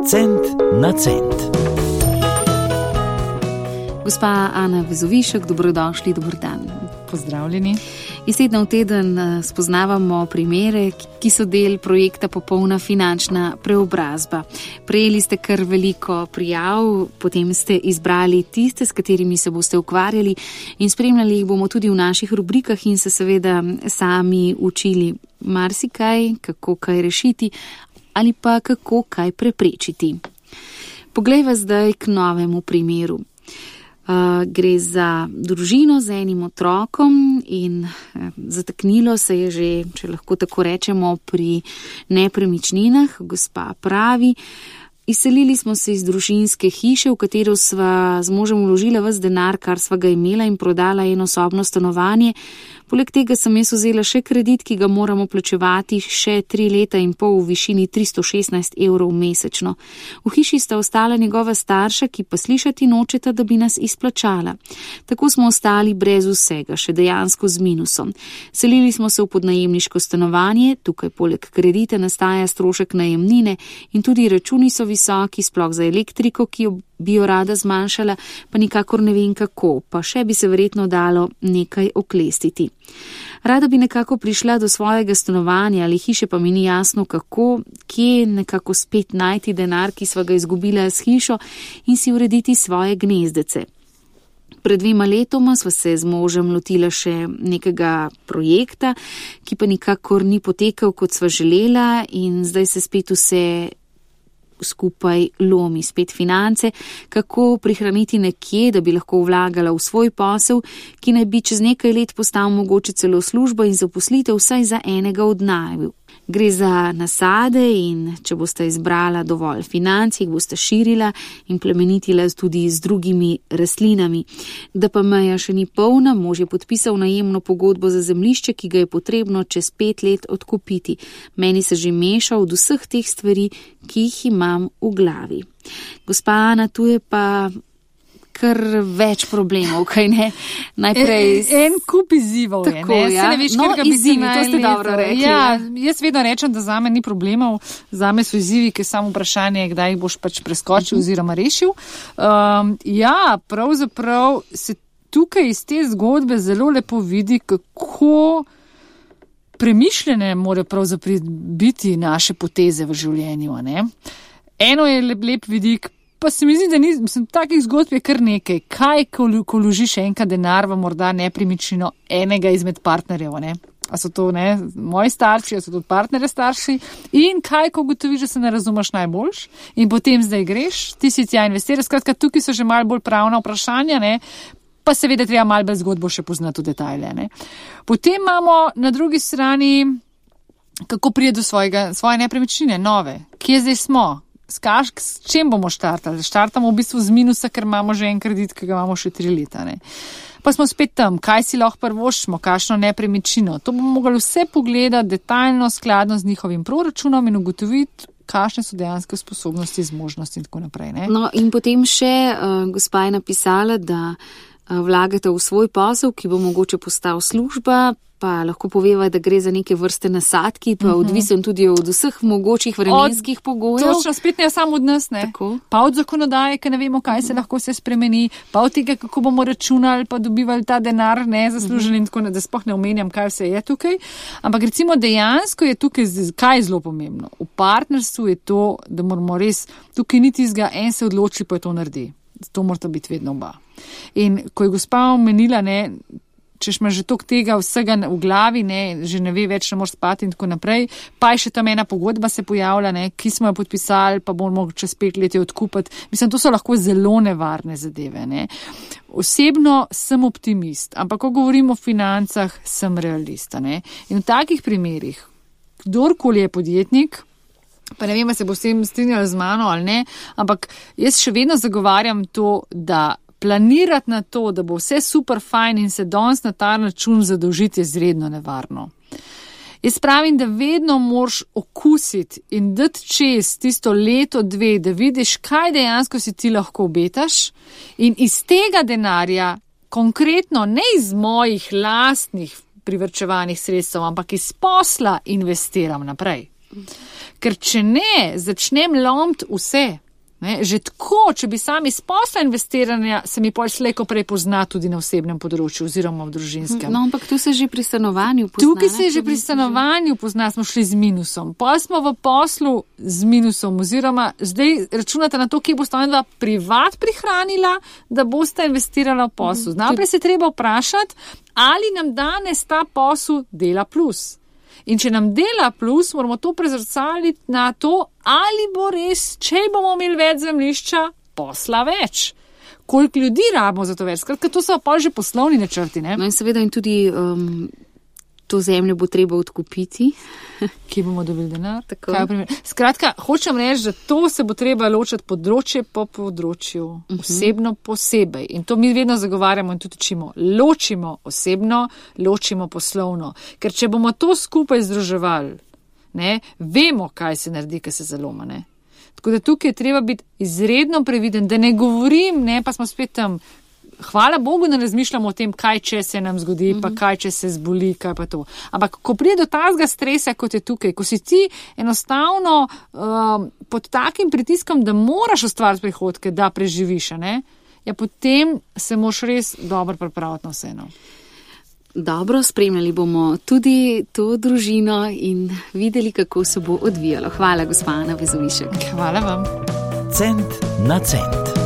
Cent na cent. Gospa Ana Vezovišek, dobrodošli, dober dan. Pozdravljeni. Iz tedna v teden spoznavamo primere, ki so del projekta Popolna finančna preobrazba. Prejeli ste kar veliko prijav, potem ste izbrali tiste, s katerimi se boste ukvarjali in spremljali jih bomo tudi v naših rubrikah in se seveda sami učili marsikaj, kako kaj rešiti ali pa kako kaj preprečiti. Poglejva zdaj k novemu primeru. Gre za družino z enim otrokom in zataknilo se je že, če lahko tako rečemo, pri nepremičninah. Gospa pravi, izselili smo se iz družinske hiše, v katero sva z možem vložila ves denar, kar sva ga imela, in prodala enosobno stanovanje. Poleg tega sem jaz vzela še kredit, ki ga moramo plačevati še 3 leta in pol v višini 316 evrov mesečno. V hiši sta ostala njegova starša, ki pa slišati nočeta, da bi nas izplačala. Tako smo ostali brez vsega, še dejansko z minusom. Selili smo se v podnajemniško stanovanje, tukaj poleg kredita nastaja strošek najemnine in tudi računi so visoki, sploh za elektriko, ki bi jo rada zmanjšala, pa nikakor ne vem kako, pa še bi se verjetno dalo nekaj oklestiti. Rada bi nekako prišla do svojega stanovanja ali hiše, pa mi ni jasno kako, kje nekako spet najti denar, ki sva ga izgubila s hišo, in si urediti svoje gnezdece. Pred 2 letoma sva se z možem lotila še nekega projekta, ki pa nikakor ni potekal, kot sva želela, in zdaj se spet vse skupaj lomi, spet finance, kako prihraniti nekje, da bi lahko vlagala v svoj posel, ki naj bi čez nekaj let postal mogoče celo služba in zaposlitev vsaj za enega od naju. Gre za nasade in če boste izbrala dovolj financ, jih boste širila in plemenitila tudi z drugimi rastlinami. Da pa meja še ni polna, mož je podpisal najemno pogodbo za zemljišče, ki ga je potrebno čez 5 let odkupiti. Meni se že meša od vseh teh stvari, ki jih imam v glavi. Gospa Ana, tu je pa kar več problemov, kaj ne? Najprej en kup izzivov je, ne? Ja. Ne veš, no, izzivi, to ste dobro rekli. Ja, jaz vedno rečem, da zame ni problemov, zame so izzivi, ki samo vprašanje, kdaj jih boš pač preskočil oziroma rešil. Pravzaprav se tukaj iz te zgodbe zelo lepo vidi, kako premišljene morajo pravzaprav biti naše poteze v življenju, ne? Eno je lep vidik, pa se mi zdi, da takih zgodb je kar nekaj. Kaj, ko vložiš enkrat denar v morda nepremičnino enega izmed partnerjev, ne? A so to, ne, moji starši, a so to partnerje starši? In kaj, ko ugotoviš, da se ne razumeš najboljš in potem zdaj greš, ti si tja investiraš. Skratka, tukaj so že malo bolj pravna vprašanja, ne? Pa seveda treba malo bolj zgodbo še poznati v detajle, ne? Potem imamo na drugi strani, kako prije do svoje nepremičnine, nove. Kje zdaj smo? S čem bomo štartali? Štartamo v bistvu z minusa, ker imamo že en kredit, ki ga imamo še 3 leta. Ne? Pa smo spet tam, kaj si lahko prvoščimo, kakšno nepremičnino. To bomo mogli vse pogledati detaljno, skladno z njihovim proračunom in ugotoviti, kakšne so dejanske sposobnosti, zmožnosti in tako naprej. Ne? No in potem še gospa je napisala, da vlagate v svoj posel, ki bo mogoče postal služba, pa lahko poveva, da gre za neke vrste nasadki, pa odvisen tudi od vseh mogočih vremenskih pogojev. Točno, spet ne samo od nas, ne. Tako. Pa od zakonodaje, ker ne vemo, kaj se lahko se spremeni, pa od tega, kako bomo računali, pa dobivali ta denar, ne, zaslužili in tako, da sploh ne omenjam, kaj vse je tukaj. Ampak recimo dejansko je tukaj, kaj je zelo pomembno. V partnerstvu je to, da moramo res, tukaj ni tistega, en se odloči, pa je to naredi. To morata biti vedno oba. In ko je gospa omenila, ne, češ ima že toliko tega vsega v glavi, ne, že ne ve več, ne moraš spati in tako naprej, pa je še tam ena pogodba se pojavlja, ne, ki smo jo podpisali, pa bomo čez 5 let odkupiti. Mislim, to so lahko zelo nevarne zadeve, ne. Osebno sem optimist, ampak ko govorim o financah, sem realista, ne. In v takih primerih, kdorkoli je podjetnik, pa ne vem, se bo s tem strinjali z mano ali ne, ampak jaz še vedno zagovarjam to, da planirati na to, da bo vse super fajn in se danes na ta račun zadolžiti, je izredno nevarno. Jaz pravim, da vedno moraš okusiti in dati čez tisto leto, 2, da vidiš, kaj dejansko si ti lahko obetaš in iz tega denarja, konkretno ne iz mojih lastnih privrčevanih sredstev, ampak iz posla investiram naprej. Ker če ne, začnem lomiti vse. Ne, že tako, če bi sami iz posla investiranja, se mi pol slejko prej pozna tudi na osebnem področju oziroma v družinskem. No, ampak tu se že pri stanovanju pozna. Tukaj se že pri stanovanju pozna, smo šli z minusom. Pol smo v poslu z minusom oziroma zdaj računate na to, kje boste ona privat prihranila, da boste investirala v poslu. Najprej se treba vprašati, ali nam danes ta posel dela plus. In če nam dela plus, moramo to prezrcaliti na to, ali bo res, če bomo imeli več zemljišča, posla več. Koliko ljudi rabimo za to več? Skratka, to so pa že poslovni načrti, ne? No in seveda in tudi to zemljo bo treba odkupiti. Kje bomo dobili denar? Skratka, hočem reči, da to se bo treba ločiti področje po področju, osebno posebej. In to mi vedno zagovarjamo in tudi učimo. Ločimo osebno, ločimo poslovno. Ker če bomo to skupaj združevali, ne, vemo, kaj se naredi, kaj se zaloma, ne. Tako da tukaj je treba biti izredno previden, da ne govorim, ne, pa smo spet tam. Hvala Bogu, ne razmišljamo o tem, kaj če se nam zgodi, pa kaj če se zboli, kaj pa to. Ampak, ko pride do tazga stresa, kot je tukaj, ko si ti enostavno pod takim pritiskom, da moraš ustvariti prihodke, da preživiš, ne, ja, potem se moraš res dobro pripraviti na vseeno. Dobro, spremljali bomo tudi to družino in videli, kako se bo odvijalo. Hvala, gospa Ana Vezovišek. Hvala vam. Cent na cent.